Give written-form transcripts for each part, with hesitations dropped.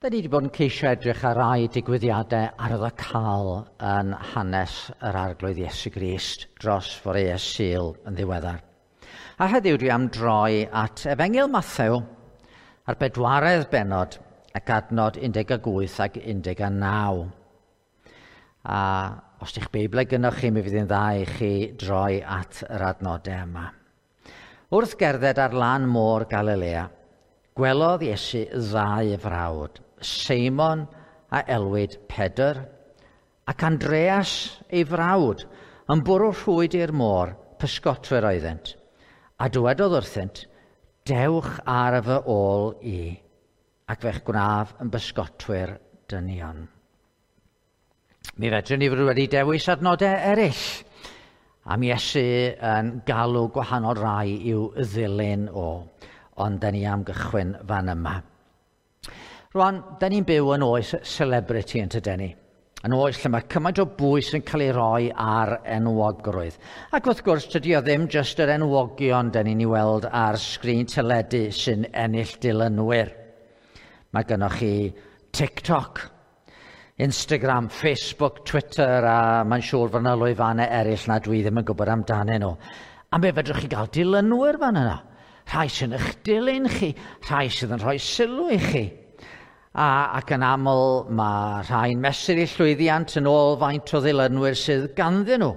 Da ni wedi bod yn ceisio edrych ar rai digwyddiadau arwyddocaol yn hanes yr Arglwydd Iesu Grist dros foreau Sul yn ddiweddar. A heddiw dwi am droi at Efengyl Mathew ar bedwaredd bennod ac adnod 18 ac 19. A os di'ch Beiblau gynnwch chi, mi fydd hi'n dda i chi droi at yr adnodau yma. Wrth gerdded ar lan môr Galilea, gwelodd Iesu ddau frawd, Seimon a elwid Pedr, ac Andreas ei frawd, yn bwrw rhwyd i'r môr, pysgotwyr oeddent. A dywedodd wrthynt, dewch ar fy ôl i, ac fe'ch gwnaf yn bysgotwyr dynion. Mi fedrwn ni fod wedi dewis adnodau eraill am Iesu yn galw gwahanol rai i'w ddilyn o, ond da ni am gychwyn fan yma. Rwan, da ni'n byw yn oes celebrity yn tyden ni. Yn oes lle mae cymaint o bwys yn cael ei roi ar enwogrwydd. Ac wrth gwrs, tydi o ddim jyst yr enwogion da ni'n ei weld ar sgrin teledu sy'n ennill dilynwyr. Mae gennych chi TikTok, Instagram, Facebook, Twitter, a mae'n siŵr fod yna lwyfannau eraill na dwi ddim yn gwybod amdanyn nhw. A mi fedrwch chi gael dilynwyr fan yna. Rhai sy'n eich dilyn chi, rhai sydd yn rhoi sylw i chi. Ac yn aml mae rhai'n mesur eu llwyddiant yn ôl faint o ddilynwyr sydd ganddyn nhw.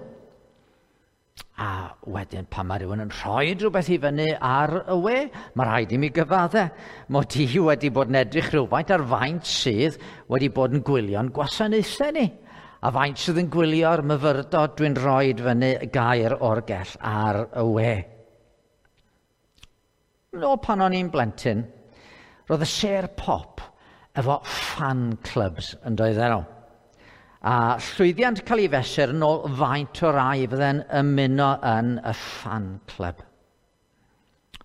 A wedyn pan mae rhywun yn rhoi rhywbeth i fyny ar y we, mae rhaid i mi gyfadde mod i wedi bod yn edrych rhywfaint ar faint sydd wedi bod yn gwylio'n gwasanaethau ni. A faint sydd yn gwylio'r myfyrdod dwi'n rhoi fyny gair o'r gell ar y we. Nôl pan o'n i'n blentyn, roedd y sêr pop efo fan clubs yn doedden nhw. A llwyddiant cael ei fesur yn ôl faint o rai fydde'n ymuno yn y fan club.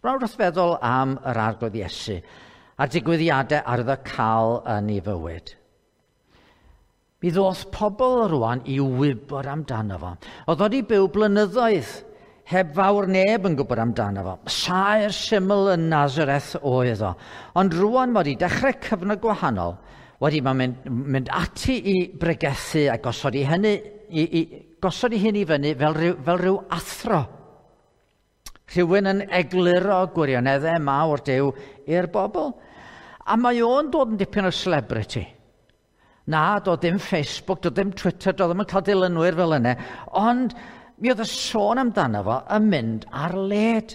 Rhaid wrth feddwl am yr Arglwydd Iesu a'r digwyddiadau arwyddocaol yn ei fywyd. Mi ddoth pobl rwan i wybod amdano fo. Oedd wedi byw blynyddoedd heb fawr neb yn gwybod amdano fo. Saer syml yn Nazareth oedd o. Ond rwan mae wedi dechrau cyfnod gwahanol, wedi mae'n mynd ati i bregethu a gosod i hynny, gosod i hyn i fyny fel rhyw athro. Rhywun yn egluro gwirioneddau mawr Duw i'r bobl. A mae o'n dod yn dipyn o celebrity. Na, doedd dim Facebook, doedd dim Twitter, doedd ddim yn cael dilynwyr fel yna, ond mi oedd y sôn amdano fo yn mynd ar led.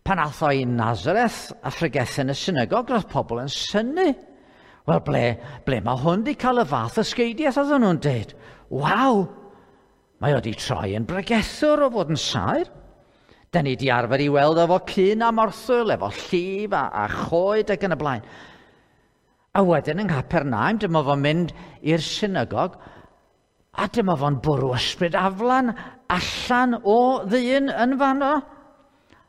Pan ath o i Nazareth a phregethu yn y synagog, roedd pobl yn synnu. Wel, ble mae hwn wedi cael y fath ysgeidiaeth, oedden nhw'n deud? Waw, mae o wedi troi yn bregethwr o fod yn saer. Da ni wedi arfer i weld efo cyn a morthwyl, efo llif a choed ac yn y blaen. A wedyn yng Nghapernaum, dyma fo'n mynd i'r synagog, a dyma fo'n bwrw ysbryd aflan allan o ddyn yn fanno.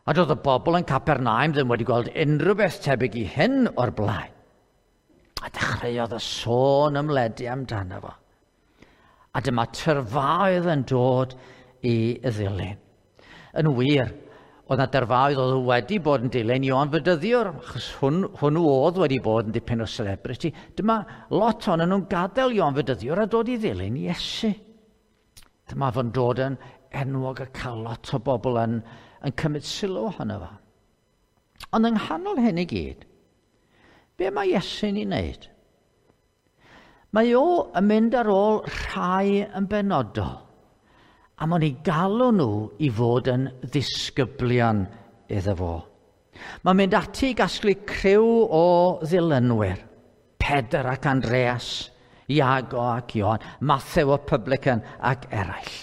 A doedd y bobl yn Capernaum ddim wedi gweld unrhyw beth tebyg i hyn o'r blaen. A dechreuodd y sôn ymledu amdano fo. A dyma tyrfaoedd yn dod i ddilyn. Yn wir, oedd na dyrfaoedd oedd wedi bod yn dilyn Ioan Fedyddiwr, achos hwnnw oedd wedi bod yn dipyn o celebrity. Dyma lot ohonyn nhw'n gadael Ioan Fedyddiwr a dod i ddilyn Iesu. Dyma fo'n dod yn enwog a cael lot o bobl yn cymryd sylw ohono fo. Ond yng nghanol hyn i gyd, be mae Iesu'n ei wneud? Mae o yn mynd ar ôl rhai yn benodol, a mae'n ei galw nhw i fod yn ddisgyblion iddo fo. Mae'n mynd ati i gasglu criw o ddilynwyr, Pedr ac Andreas, Iago ac Ioan, Mathew y publican ac eraill.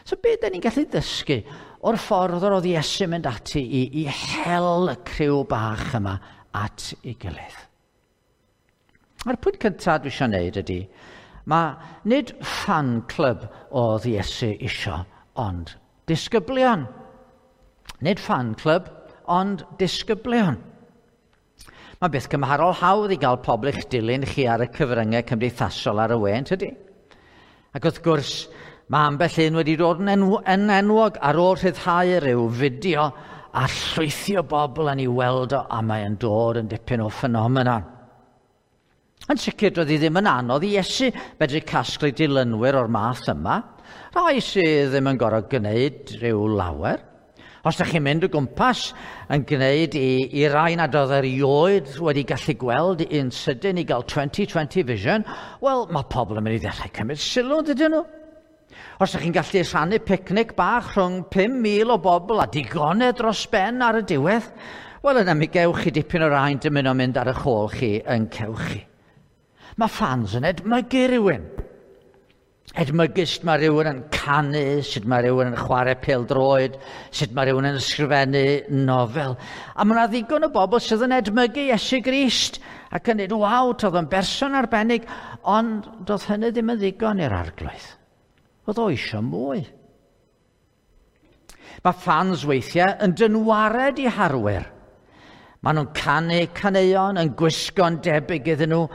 So be da ni'n gallu ddysgu o'r ffordd yr oedd Iesu'n mynd ati i hel y criw bach yma at ei gilydd? A'r pwynt cyntaf dwi eisiau gwneud ydy, mae nid fan club oedd Iesu isio, ond disgyblion. Nid fan club, ond disgyblion. Mae beth cymharol hawdd i gael pobl eich dilyn chi ar y cyfryngau cymdeithasol ar y we, yn tydi? Ac wrth gwrs, mae ambell un wedi dod yn enwog ar ôl rhyddhau rhyw fideo a llwythi o bobl yn ei weld o, a mae'n dod yn dipyn o ffenomenon. Yn sicr, doedd hi ddim yn anodd i Iesu medru casglu dilynwyr o'r math yma. Rhai sydd ddim yn gorfod gwneud rhyw lawer. Os ydych chi'n mynd o gwmpas yn gwneud i rai nad oedd erioed wedi gallu gweld un sydyn i gael 20/20 vision, wel, mae pobl yn mynd i ddechrau cymryd sylw, dydyn nhw? Os ydych chi'n gallu rhannu picnic bach rhwng 5,000 o bobl a digonedd dros ben ar y diwedd, wel, yna mi gewch chi dipyn o rai'n dymuno mynd ar eich ôl chi yn cewch chi. Mae fans yn edmygu rhywun. Edmygu sut mae rhywun yn canu, sut mae rhywun yn chwarae pêl-droed, sut mae rhywun yn ysgrifennu nofel. A mae yna ddigon o bobl sydd yn edmygu Iesu Grist ac yn dweud, waw, toedd o'n berson arbennig, ond doedd hynny ddim yn ddigon i'r Arglwydd. Oedd o eisiau mwy. Mae fans weithiau yn dynwared i harwyr. Maen nhw'n canu caneuon, yn gwisgo'n debyg iddyn nhw,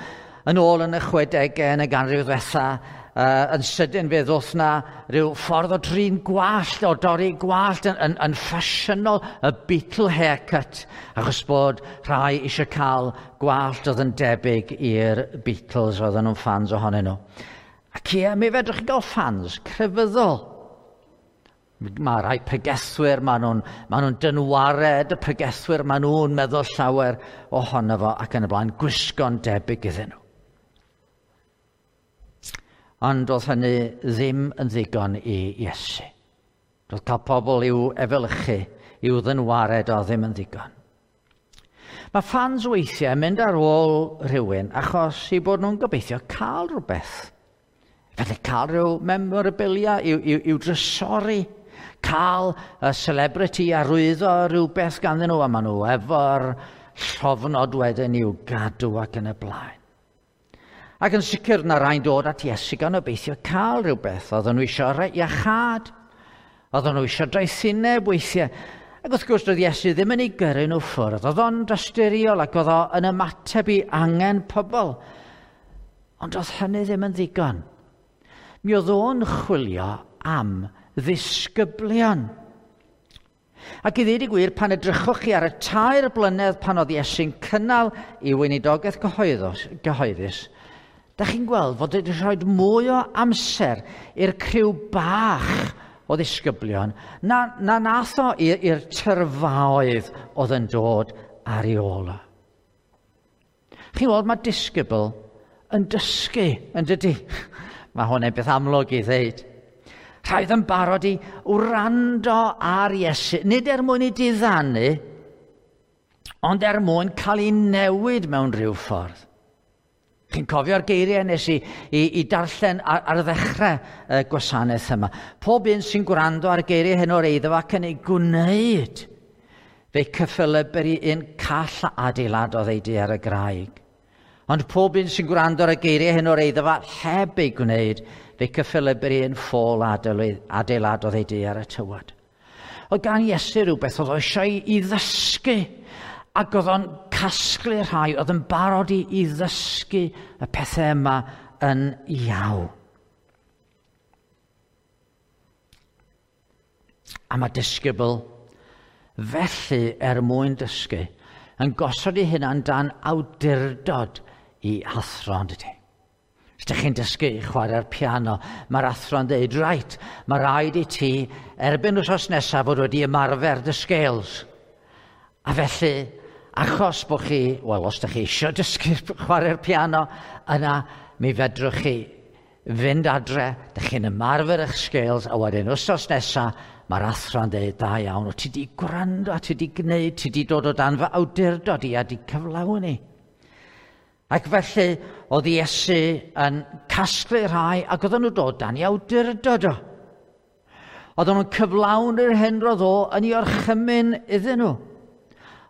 yn ôl yn y 60au yn y ganrif ddwetha, yn sydyn fe ddoth na rhyw ffordd o drin gwallt, o dorri gwallt yn ffasiynol, y Beatle haircut, achos bod rhai eisiau cael gwallt oedd yn debyg i'r Beatles, oedden nhw'n fans ohonyn nhw. Ac ie, mi fedrwch chi gael fans crefyddol. Mae rhai pregethwyr, maen nhw'n dynwared y pregethwyr, maen nhw'n meddwl llawer ohono fo ac yn y blaen, gwisgo'n debyg iddyn nhw. Ond oedd hynny ddim yn ddigon i Iesu. Doedd cael pobl i'w efelychu, i'w ddynwared o ddim yn ddigon. Mae fans weithiau yn mynd ar ôl rhywun achos eu bod nhw'n gobeithio cael rhywbeth. Felly cael rhyw memorabilia i'w drysori, cael y celebrity arwyddo rhywbeth ganddyn nhw, a maen nhw efo'r llofnod wedyn i'w gadw ac yn y blaen. Ac yn sicr na rhai'n dod at Iesu gan obeithio cael rhywbeth. Oedden nhw eisiau iachâd, oedden nhw eisiau doethineb weithiau. Ac wrth gwrs doedd Iesu ddim yn ei gyrru nhw ffwrdd. Oedd o'n dosturiol ac oedd o yn ymateb i angen pobl. Ond oedd hynny ddim yn ddigon. Mi oedd o'n chwilio am ddisgyblion. Ac i ddweud y gwir, pan edrychwch chi ar y 3 blynedd pan oedd Iesu'n cynnal ei weinidogaeth gyhoeddus, da chi'n gweld fod wedi rhoi mwy o amser i'r criw bach o ddisgyblion na nath o i'r tyrfaoedd oedd yn dod ar ei ôl o. Chi'n gweld, mae disgybl yn dysgu, yn dydy? Mae hwn yn beth amlwg i ddeud. Rhaid yn barod i wrando ar Iesu, nid er mwyn i diddanu, ond er mwyn cael ei newid mewn rhyw ffordd. Chi'n cofio'r geiriau nes i darllen ar ddechrau y gwasanaeth yma. Pob un sy'n gwrando ar geiriau hyn o'r eiddo ac yn ei gwneud, fe cyffelyb i un call a adeiladodd ei dŷ ar y graig. Ond pob un sy'n gwrando ar y geiriau hyn o'r eiddo heb ei gwneud, fe cyffelyb i un ffôl adeiladodd ei dŷ ar y tywod. Oedd gan Iesu rhywbeth oedd o eisiau i ddysgu, ac oedd o'n casglu rhai oedd yn barod i ddysgu y pethau yma yn iawn. A mae disgybl felly er mwyn dysgu yn gosod ei hunan dan awdurdod i athro, yn dydy. Os ydych chi'n dysgu i chwarae'r piano, mae'r athro'n dweud, reit, mae rhaid i ti erbyn wythnos nesaf fod wedi ymarfer dy scales. A felly, achos bod chi, wel, os ydych chi eisiau dysgu chwarae'r piano, yna mi fedrwch chi fynd adre, ydych chi'n ymarfer eich scales, a wedyn wythnos nesaf, mae'r athro'n dweud, da iawn, o ti di gwrando, a ti di gwneud, ti di dod o dan fy awdurdod i a di cyflawni. Ac felly, oedd Iesu yn casglu rhai ac oedden nhw dod dan i awdurdod o. Oedden nhw'n cyflawni'r hyn roedd o yn ei orchymyn iddyn nhw.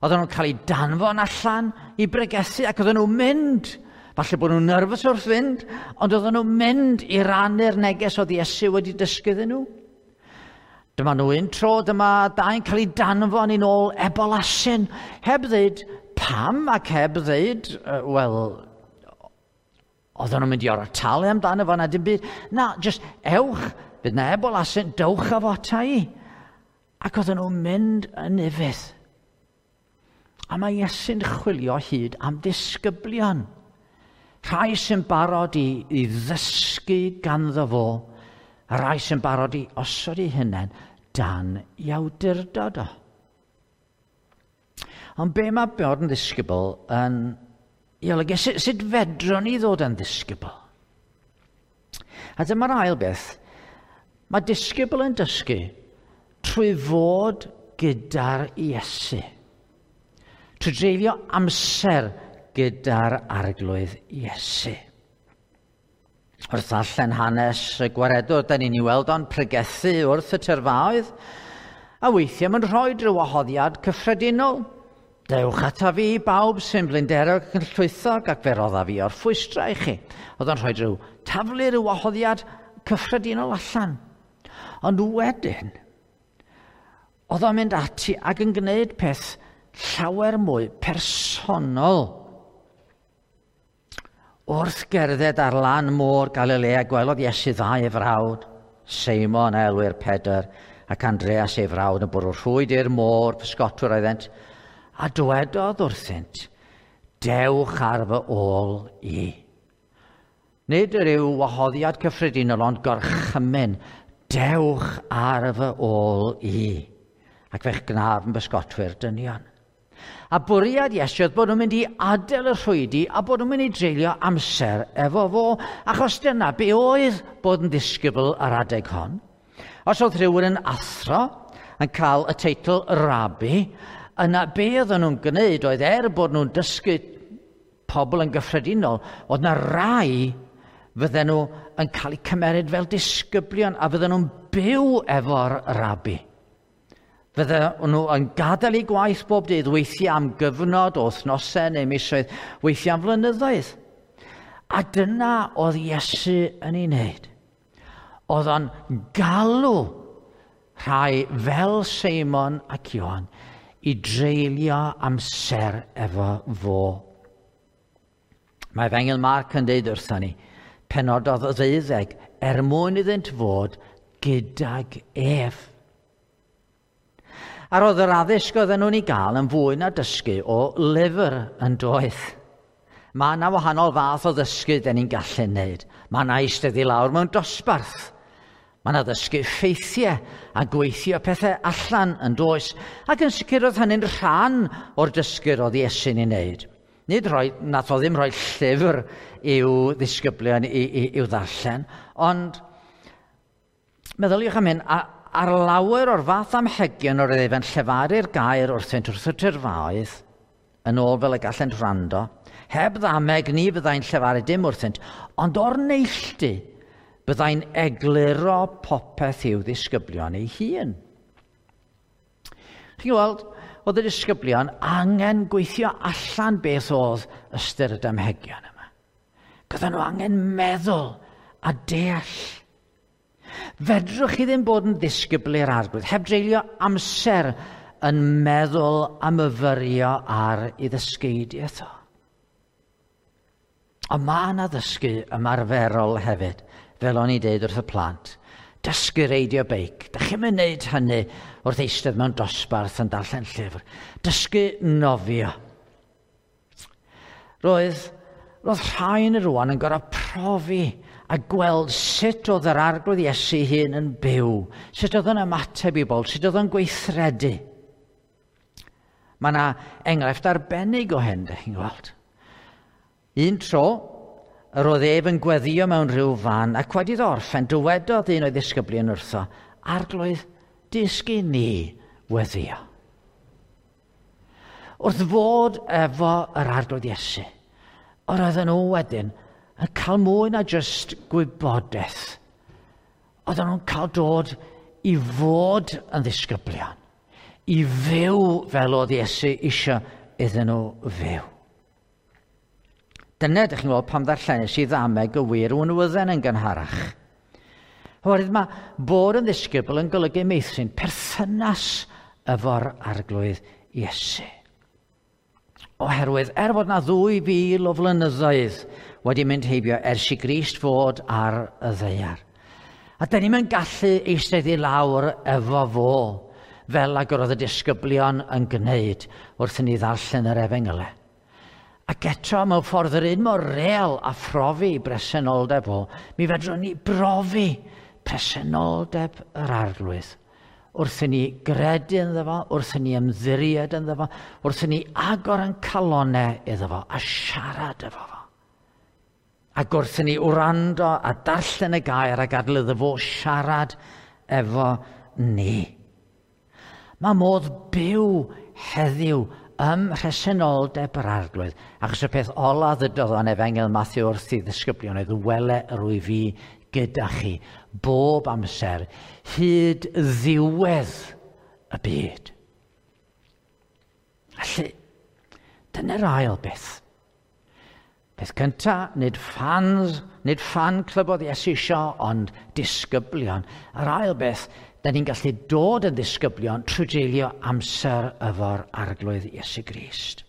Oedden nhw'n cael eu danfon allan i bregethu ac oedden nhw'n mynd. Falle bod nhw'n nerfus wrth fynd, ond oedden nhw'n mynd i rannu'r neges oedd Iesu wedi dysgu iddyn nhw. Dyma nhw un tro, dyma dau'n cael eu danfon i nôl ebolasyn, heb ddeud pam ac heb ddeud, wel, oedden nhw'n mynd i orau talu amdano fo na dim byd. Na, just ewch, bydd na ebolasyn, dewch â fo ata i. Ac oedden nhw'n mynd yn ufudd. A mae Iesu'n chwilio hyd am ddisgyblion. Rhai sy'n barod i ddysgu ganddo fo, a rhai sy'n barod i osod eu hunain dan i awdurdod o. Ond be mae bod yn ddisgybl yn ei olygu? Sut fedrwn ni ddod yn ddisgybl? A dyma'r ail beth. Mae disgybl yn dysgu trwy fod gyda'r Iesu. Trwy dreulio amser gyda'r Arglwydd Iesu. Wrth ddarllen hanes y gwaredwr, da ni'n ei weld o'n pregethu wrth y tyrfaoedd, a weithiau mae'n rhoi rhyw wahoddiad cyffredinol. Dewch ata fi bawb sy'n blinderog ac yn llwythog, ac fe rodda fi o'r ffwystra i chi. Oedd o'n rhoi rhyw taflu rhyw wahoddiad cyffredinol allan. Ond wedyn, oedd o'n mynd ati ac yn gwneud peth llawer mwy personol. Wrth gerdded ar lan môr Galilea, gwelodd Iesu ddau ei frawd, Seimon a elwir Pedr ac Andreas ei frawd yn bwrw rhwyd i'r môr, pysgotwr oeddent, a dywedodd wrthynt, dewch ar fy ôl i. Nid yr yw wahoddiad cyffredinol, ond gorchymyn, dewch ar fy ôl i, ac fe'ch gnaf yn bysgotwyr dynion. A bwriad Iesu oedd bod nhw'n mynd i adael y rhwydi a bod nhw'n mynd i dreulio amser efo fo, achos dyna be oedd bod yn ddisgybl ar adeg hon. Os oedd rhywun yn athro yn cael y teitl rabi, yna be oedden nhw'n gwneud oedd er bod nhw'n dysgu pobl yn gyffredinol, oedd na rai fydden nhw yn cael eu cymeryd fel disgyblion a fydden nhw'n byw efo'r rabi. Fydden nhw yn gadael eu gwaith bob dydd, weithiau am gyfnod o wythnosau neu misoedd, weithiau am flynyddoedd. A dyna oedd Iesu yn ei wneud. Oedd o'n galw rhai fel Seimon ac Ioan i dreulio amser efo fo. Mae Efengyl Marc yn dweud wrthon ni, penododd y ddeuddeg er mwyn iddynt fod gydag ef. A roedd yr addysg oedden nhw'n ei gael yn fwy na dysgu o lyfr yn doedd. Mae yna wahanol fath o ddysgu den ni'n gallu wneud. Mae yna eistedd i lawr mewn dosbarth. Mae yna ddysgu ffeithiau a gweithio pethau allan yn does. Ac yn sicr oedd hynny'n rhan o'r dysgu roedd Iesu'n ei wneud. Nid rhoi, nath o ddim rhoi llyfr i'w ddisgyblion i'w ddarllen, ond meddyliwch am hyn, ar lawer o'r fath amhegion o'r oedd e'n llefaru'r gair wrthynt wrth y tyrfaoedd, yn ôl fel y gallent wrando, heb ddameg ni fyddai'n llefaru dim wrthynt, ond o'r neilltu byddai'n egluro popeth i'w ddisgyblion ei hun. Chi'n gweld, oedd y disgyblion angen gweithio allan beth oedd ystyr y damhegion yma. Gyda nhw angen meddwl a deall. Fedrwch chi ddim bod yn ddisgybl i'r Arglwydd heb dreulio amser yn meddwl a myfyrio ar ei ddysgeidiaeth o. Ond mae yna ddysgu ymarferol hefyd, fel o'n i dweud wrth y plant. Dysgu reidio beic. Dach chi'm yn wneud hynny wrth eistedd mewn dosbarth yn darllen llyfr. Dysgu nofio. Roedd rhai yn y rwan yn gorfod profi a gweld sut oedd yr Arglwydd Iesu hun yn byw, sut oedd yn ymateb i bobl, sut oedd yn gweithredu. Mae yna enghraifft arbennig o hyn, dych chi'n gweld. Un tro, yr oedd ef yn gweddio mewn rhyw fan, ac wedi iddo orffen, dywedodd un o'i ddisgyblion wrtho, Arglwydd, dysgu ni weddio. Wrth fod efo yr Arglwydd Iesu, yr oedden nhw wedyn yn cael mwy na jyst gwybodaeth. Oedden nhw'n cael dod i fod yn ddisgyblion, i fyw fel oedd Iesu eisiau iddyn nhw fyw. Dyna, ydych chi'n gweld, pam ddarllenes i ddameg y wir wnwydden yn gynharach. Oherwydd mae bod yn ddisgybl yn golygu meithrin perthynas efo'r Arglwydd Iesu. Oherwydd, er fod na 2000 o flynyddoedd wedi mynd heibio ers i Grist fod ar y ddaear. A dyn ni'm yn gallu eistedd i lawr efo fo, fel ag yr oedd y disgyblion yn gwneud wrth i ni ddarllen yr Efengylau. Ac eto, mewn ffordd yr un mor real a phrofi bresenoldeb o, mi fedrwn ni brofi presenoldeb yr Arglwydd. Wrth i ni gredu ynddo fo, wrth i ni ymddiried ynddo fo, wrth i ni agor yn calonau iddo fo a siarad efo fo. Ac wrth i ni wrando a darllen y gair a gadael iddo fo siarad efo ni. Mae modd byw heddiw ym mhresenoldeb yr Arglwydd. Achos y peth ola ddydodd o'n Efengyl Matthew wrth i ddisgyblion oedd wele yr wyf fi gyda chi bob amser hyd ddiwedd y byd. Felly, dyna'r ail beth. Peth cyntaf, nid fans, nid fan club oedd Iesu isio, ond disgyblion. Yr ail beth, da ni'n gallu dod yn ddisgyblion trwy dreulio amser efo'r Arglwydd Iesu Grist.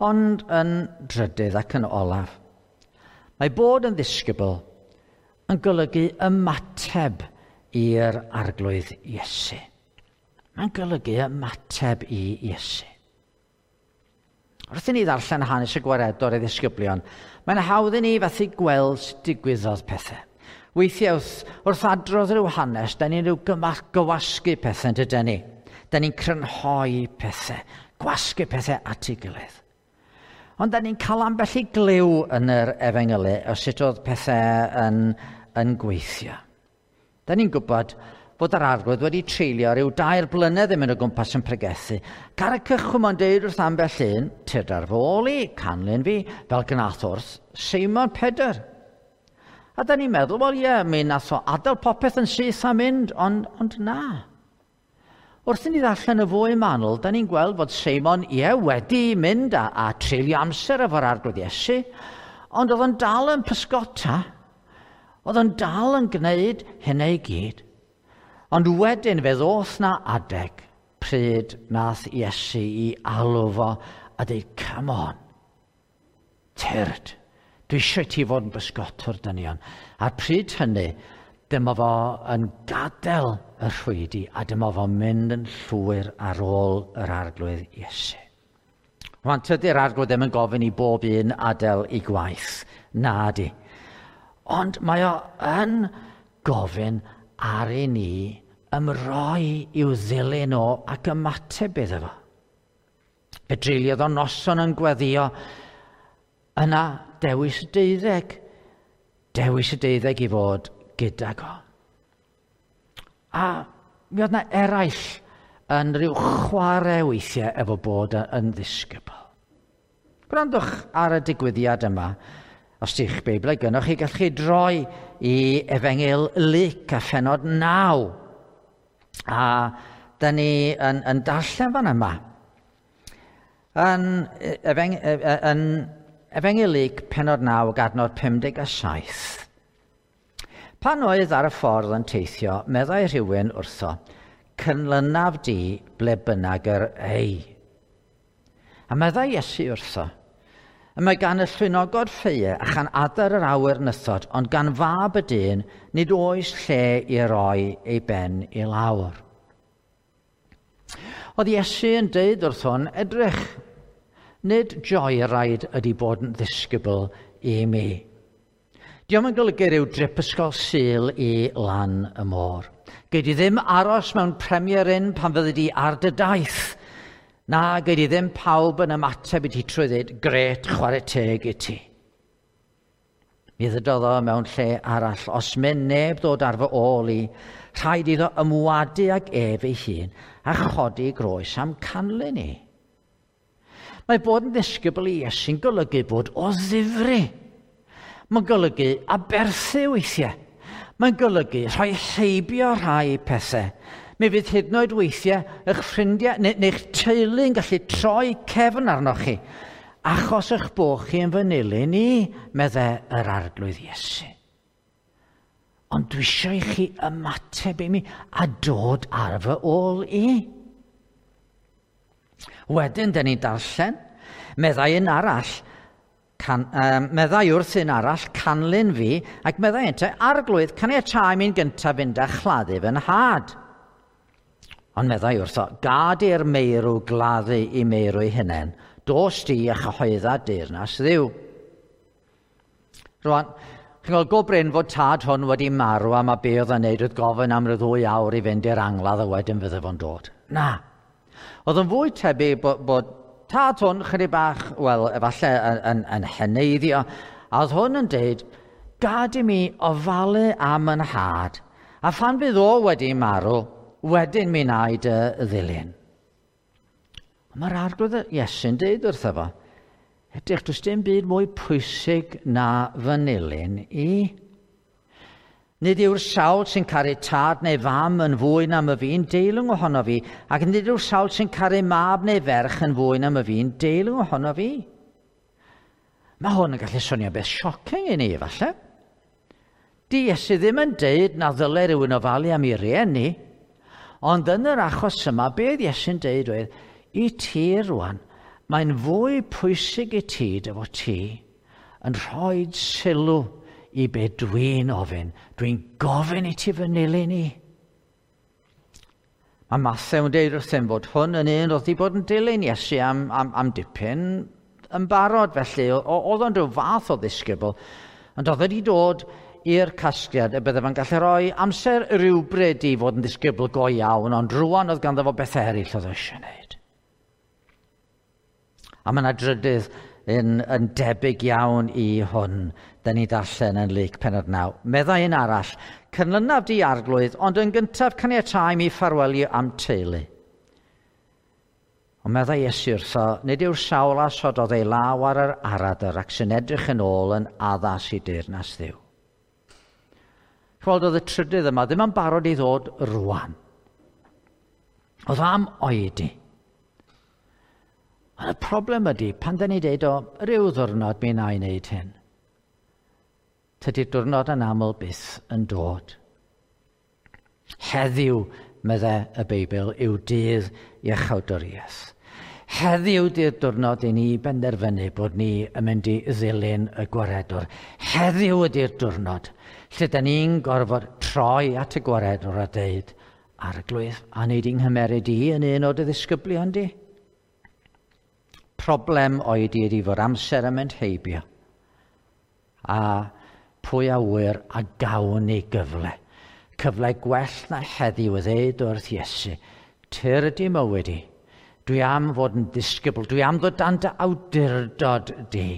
Ond yn drydydd ac yn olaf, mae bod yn ddisgybl yn golygu ymateb i'r Arglwydd Iesu. Mae'n golygu ymateb i Iesu. Wrth i ni ddarllen hanes y gwaredwr ei ddisgyblion, mae'n hawdd i ni fethu gweld sut digwyddodd pethau. Weithiau wrth adrodd rhyw hanes, da ni'n rhyw gywasgu pethau, yn dydyn ni? Da ni'n crynhoi pethau, gwasgu pethau at ei gilydd. Ond da ni'n cael ambell i glyw yn yr efengylu o sut oedd pethau yn gweithio. Da ni'n gwybod fod yr Arglwydd wedi treulio rhyw 2 blynedd yn mynd o gwmpas yn pregethu. Ar y cychwyn mae'n deud wrth ambell un, tyrd ar fy ôl i, canlyn fi, fel gnath wrth Seimon Pedr. A da ni'n meddwl, wel ie, mi nath o adael popeth yn syth a mynd, ond na. Wrth i ni ddarllen y fwy manwl, da ni'n gweld fod Seimon, ie, wedi mynd a treulio amser efo'r Arglwydd Iesu, ond oedd o'n dal yn pysgota, oedd o'n dal yn gwneud hynny i gyd. Ond wedyn fe ddoth na adeg pryd nath Iesu i alw fo a dweud, come on, tyrd, dwi eisiau ti fod yn bysgotwr dynion. A'r pryd hynny, dyma fo yn gadael y rhwydi a dyma fo'n mynd yn llwyr ar ôl yr Arglwydd Iesu. Rwan, tydi'r Arglwydd ddim yn gofyn i bob un adael i gwaith, na di. Ond mae o yn gofyn ar i ni ymroi i'w ddilyn o ac ymateb iddo fo. Fe dreuliodd o noson yn gweddio, yna dewis y deuddeg, dewis y deuddeg i fod gydag o. A mi oedd na eraill yn rhyw chwarae weithiau efo bod yn ddisgybl. Gwrandwch ar y digwyddiad yma. Os di'ch Beiblau gynnoch chi, gallwch chi droi i Efengyl Luc a phennod 9. A da ni yn darllen fan yma. Yn Efengyl Luc pennod 9 ac adnod 57. Pan oedd ar y ffordd yn teithio, meddai rhywun wrtho, cynlynaf di ble bynnag yr ei. A meddai Iesu wrtho, y mae gan y llwynogod ffeue a chan adar yr awyr nythod, ond gan fab y dyn nid oes lle i roi ei ben i lawr. Oedd Iesu yn deud wrth hwn, edrych, nid joyride ydy bod yn ddisgybl i mi. Dio'm yn golygu rhyw drip ysgol Sul i lan y môr. Gei di ddim aros mewn Premier Inn pan fyddi di ar dy daith. Na, gei di ddim pawb yn ymateb i ti trwy ddweud, gret, chwarae teg i ti. Mi ddydodd o mewn lle arall, os mynd neb ddod ar fy ôl i, rhaid iddo ymwadu ag ef ei hun a chodi groes am canlyn i. Mae bod yn ddisgybl i Iesu'n golygu bod o ddifri. Mae'n golygu aberthu weithiau. Mae'n golygu rhoi heibio rhai pethau. Mi fydd hyd yn oed weithiau eich ffrindiau neu'ch teulu yn gallu troi cefn arnoch chi, achos eich bod chi yn fy nilyn i, meddai yr Arglwydd Iesu. Ond dwi eisiau i chi ymateb i mi a dod ar fy ôl i. Wedyn, dyn ni'n darllen, meddai un arall, meddai wrth un arall, canlyn fi, ac meddai ynte, Arglwydd, caniatáu mi'n gyntaf fynd a chladdu fy nhad. Ond meddai wrtho, gad i'r meirw gladdu i meirw ei hunain, Dos di a chyhoedda deyrnas Dduw. Rwan, chi'n gweld go brin fod tad hwn wedi marw a mae be oedd yn neud oedd gofyn am ryw 2 awr i fynd i'r angladd a wedyn fydde fo'n dod. Na. Oedd yn fwy tebyg bod tad hwn chydig bach, wel, efallai yn heneiddio, a oedd hwn yn deud, gad i mi ofalu am yn nhad, a phan fydd o wedi marw, wedyn mi wna i dy ddilyn. Mae'r Arglwydd Iesu'n deud wrtho fo, edrych, does dim byd mwy pwysig na fy nilyn i. Nid yw'r sawl sy'n caru tad neu fam yn fwy na my fi'n deilwng ohono fi, ac nid yw'r sawl sy'n caru mab neu ferch yn fwy na my fi'n deilwng ohono fi. Mae hwn yn gallu swnio beth shocking i ni, efallai. Di Iesu ddim yn deud na ddyle rhywun ofalu am ei rieni, ond yn yr achos yma, be oedd Iesu'n deud oedd, i ti rwan, mae'n fwy pwysig i ti dy fod ti yn rhoi sylw i be dwi'n ofyn. Dwi'n gofyn i ti fy nilyn i. Mae Mathew yn deud wrthym fod hwn yn un oedd wedi bod yn dilyn Iesu am dipyn yn barod, felly oedd o'n rhyw fath o ddisgybl, ond oedd wedi dod i'r casgliad y bydde fo'n gallu rhoi amser rhywbryd i fod yn ddisgybl go iawn, ond rwan oedd ganddo fo bethau eraill oedd eisiau gwneud. A mae yna drydydd yn debyg iawn i hwn, da ni darllen yn Luc pennod 9. Meddai un arall, cynlynaf di Arglwydd, ond yn gyntaf caniatáu mi ffarwelio am teulu. Ond meddai Iesu wrtho, nid yw'r sawl a sododd ei law ar yr aradr ac sy'n edrych yn ôl yn addas i deyrnas Dduw. Chweld, oedd y trydydd yma ddim yn barod i ddod rwan. Oedd am oedi. Ond y problem ydy, pan da ni deud o, rhyw ddwrnod mi wna i wneud hyn. Tydi'r diwrnod yn aml byth yn dod. Heddiw, meddai y Beibl, yw dydd iachawdwriaeth. Heddiw di'r diwrnod i ni benderfynu bod ni yn mynd i ddilyn y gwaredwr. Heddiw ydy'r diwrnod lle da ni'n gorfod troi at y gwaredwr a deud, Arglwydd, a wneud i'n nghymeryd i yn un o dy ddisgyblion di? Problem oedi ydy fod amser yn mynd heibio. A pwy a ŵyr a gawn ni gyfle. Cyfle gwell na heddiw i ddeud wrth Iesu, tyr ydy mywyd i. Dwi am fod yn ddisgybl, dwi am ddod dan dy awdurdod di,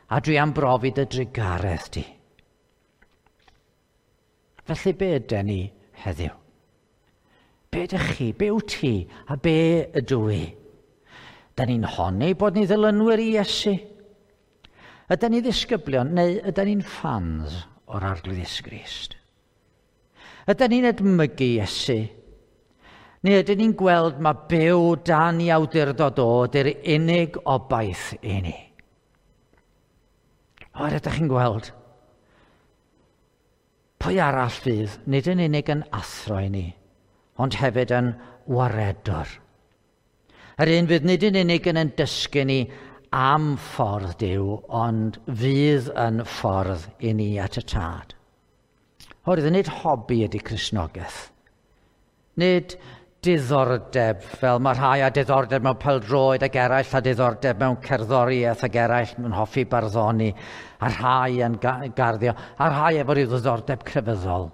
a dwi am brofi dy drugaredd di. Felly be yden ni heddiw? Be ydych chi? Be wyt ti? A be ydw i? Da ni'n honni bod ni ddilynwyr i Iesu. Ydan ni ddisgyblion neu ydan ni'n ffans o'r Arglwydd Iesu Grist? Ydan ni'n edmygu Iesu? Neu ydyn ni'n gweld mae byw dan i awdurdod o ydy'r unig obaith i ni? O, ydych chi'n gweld? Pwy arall fydd nid yn unig yn athro i ni, ond hefyd yn waredwr. Yr un fydd nid yn unig yn dysgu ni am ffordd Duw, ond fydd yn ffordd i ni at y Tad. Oherwydd nid hobi ydy Cristnogaeth. Nid diddordeb, fel mae rhai â diddordeb mewn pêl-droed ac eraill â diddordeb mewn cerddoriaeth ac eraill yn hoffi barddoni, a rhai yn garddio, a rhai efo rhyw ddiddordeb crefyddol.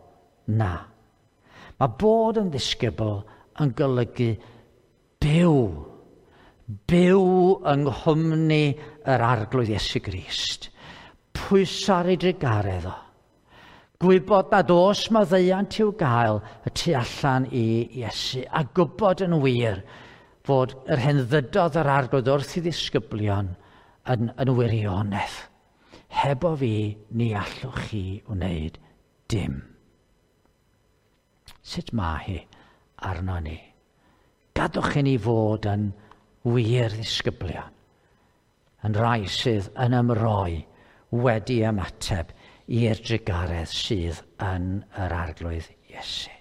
Na. Mae bod yn ddisgybl yn golygu byw. Byw yng nghwmni yr Arglwydd Iesu Grist. Pwyso ar ei drugaredd o. Gwybod nad oes maddeuant i'w gael y tu allan i Iesu, a gwybod yn wir fod yr hen ddydodd yr Arglwydd wrth i ddisgyblion yn wirionedd. Hebo fi, ni allwch chi wneud dim. Sut mae hi arno ni? Gadwch i ni fod yn wir ddisgyblion, yn rai sydd yn ymroi wedi ymateb i'r drugaredd sydd yn yr Arglwydd Iesu.